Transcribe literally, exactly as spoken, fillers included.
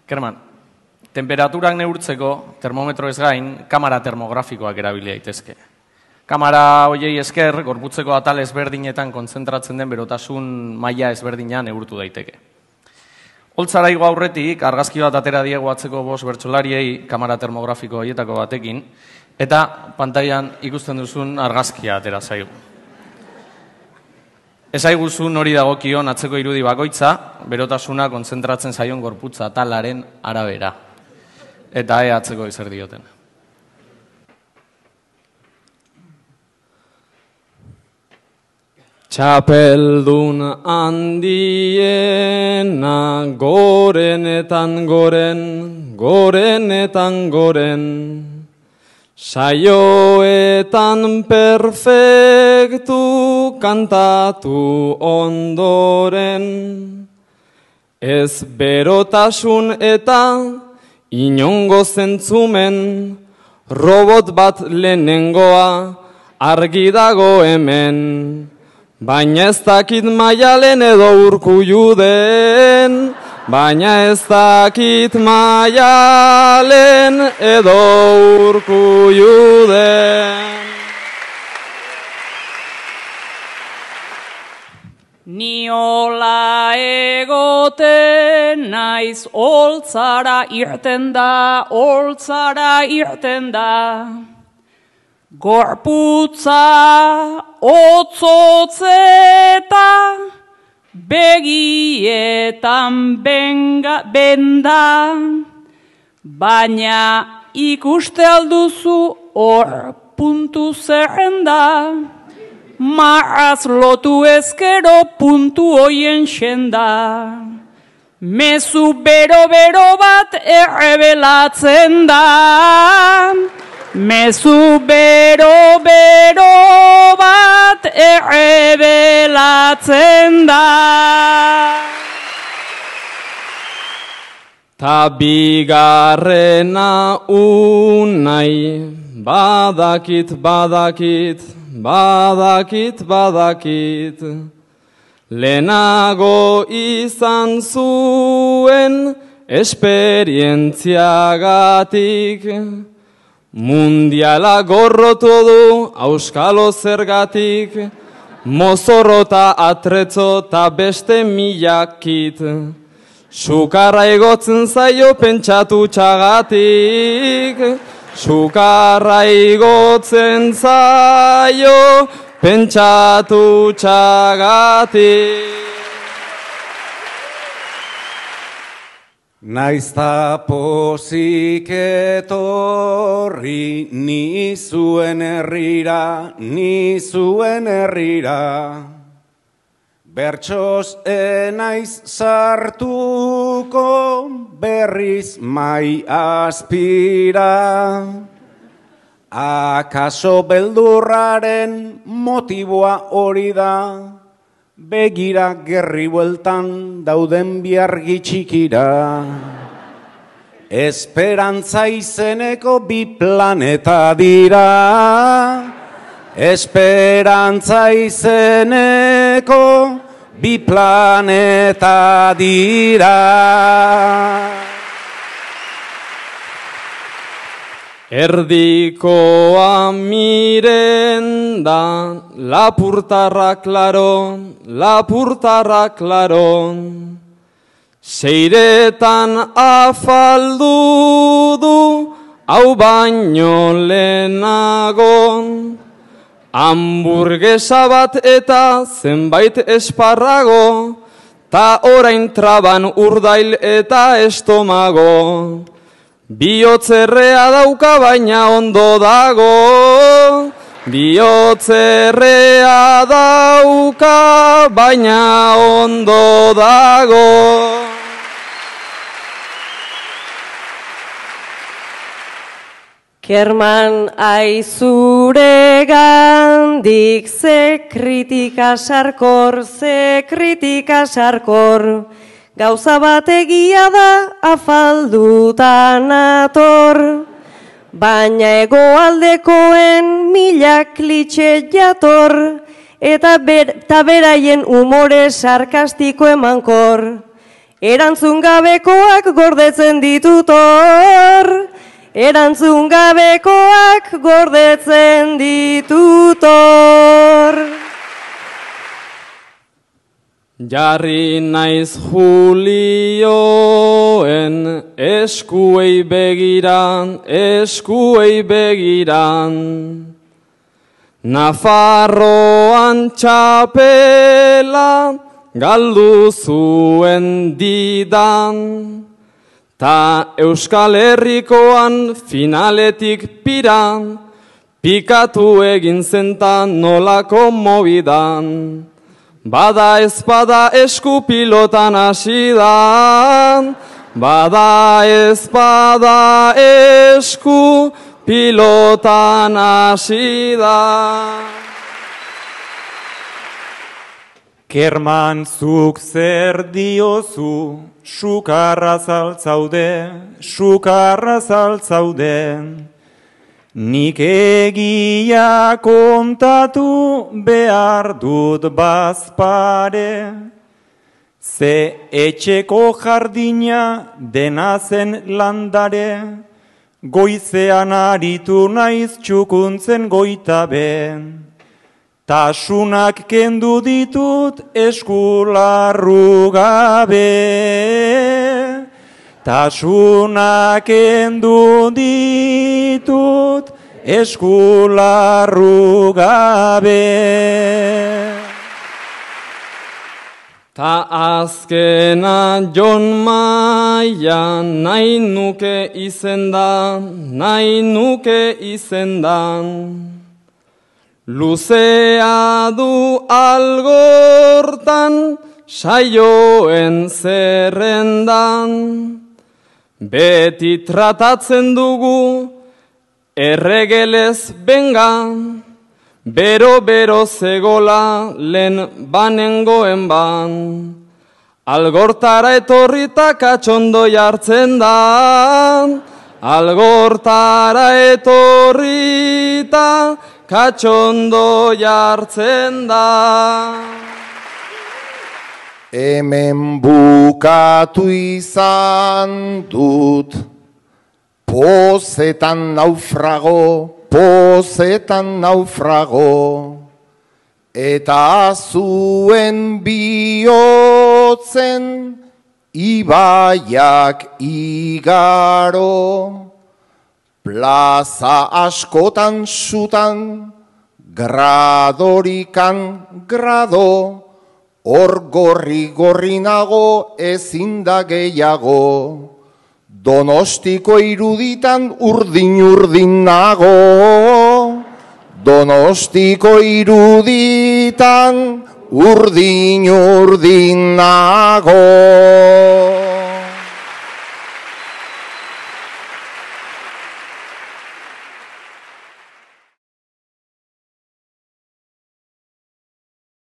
Kerman, temperaturak neurtzeko termometro ez gain, kamara termografikoak erabili daitezke. Kamara hoiei esker, gorputzeko atal ezberdinetan kontzentratzen den berotasun maila ezberdinean neurtu daiteke. Holtzara igo aurretik, argazki bat atera diegu atzeko bost bertsolariei kamara termografiko horietako batekin, eta pantailan ikusten duzun argazkia atera zaigu. Ezaiguzun hori dagokion atzeko irudi bakoitza, berotasuna kontzentratzen zaion gorputza atalaren arabera. Eta ea atzeko ezer dioten. Txapeldun handiena gorenetan goren, gorenetan goren, saioetan perfektu kantatu ondoren, ez berotasun eta inongo zentzumen, robot bat lehenengoa argi dago hemen. Baina ez dakit Maialen edo Urkullu den, baina ez dakit Maialen edo Urkullu den. Niola egoten naiz holtzara irten da, holtzara irten da. Gorputza otzotzeta begietan benga, benda, baina ikuste alduzu hor puntu zerrenda, maraz lotu ezkero puntu hoien xenda. Mezu bero-bero bat errebelatzen da, mezu bero-bero bat errebelatzen da. Ta bigarrena unai, badakit, badakit, badakit, badakit. Lehenago izan zuen esperientziagatik. Mundiala gorrotu du auskalo zergatik, mozorrota atretzo ta beste milakit. Sukarra igotzen zaio pentsatu txagatik, sukarra igotzen zaio pentsatu txagatik. Naizta pozik etorri ni zuen herrira, ni zuen herrira. Bertsoz enaiz sartuko berriz mai azpira. Akaso beldurraren motiboa hori da, begira gerri bueltan dauden biargi txikira. Esperantza izeneko bi planeta dira, esperantza izeneko bi planeta dira. Erdikoa miren da, lapurtarra klaro, lapurtarra klaro. Seiretan afaldu du, hau baino lehenago. Hamburguesa bat eta zenbait esparrago, ta orain traban urdail eta estomago. Bihotzerrea dauka baina ondo dago, bihotzerrea dauka baina ondo dago. Kerman aizure gandik ze kritika sarkor, ze kritika sarkor. Gauza bat egia da afaldutan ator, baina hegoaldekoen milak klitxe jator, eta ber, beraien umore sarkastiko emankor. Erantzun gabekoak gordetzen ditut hor, erantzun gabekoak gordetzen ditut hor. Jarri naiz Julioen eskuei begiran, eskuei begiran. Nafarroan txapela galdu zuen didan, ta Euskal Herrikoan finaletik piran, pikatu egin zentan nolako mobidan. Bada ezpada esku pilotan hasidan, bada ezpada esku pilotan hasidan. Kerman zuk zer diozu, sukarra zaltzaude, sukarra zaltzaude. Nik egia kontatu behar dut bazpare, ze etxeko jardina dena zen landare, goizean aritu naiz txukuntzen goitabe. Tasunak kendu ditut eskularru gabe, tasunak kendu ditut eskularru gabe. Ta azkena Jon Maia nahi nuke izendan, nahi nuke izendan. Luzea du algortan saioen zerrendan, beti tratatzen dugu erregelez bengan, bero-bero zegola lehen banengoen ban. Algortara etorrita katxondo jartzen da, algortara etorrita katxondo jartzen da. Hemen bukatu izan dut, pozetan naufrago, pozetan naufrago, eta zuen bihotzen ibaiak igaro. Plaza askotan sutan, gradorikan grado, hor gorri-gorri nago ezin da gehiago. Donostiko iruditan urdin-urdin nago, Donostiko iruditan urdin-urdin nago.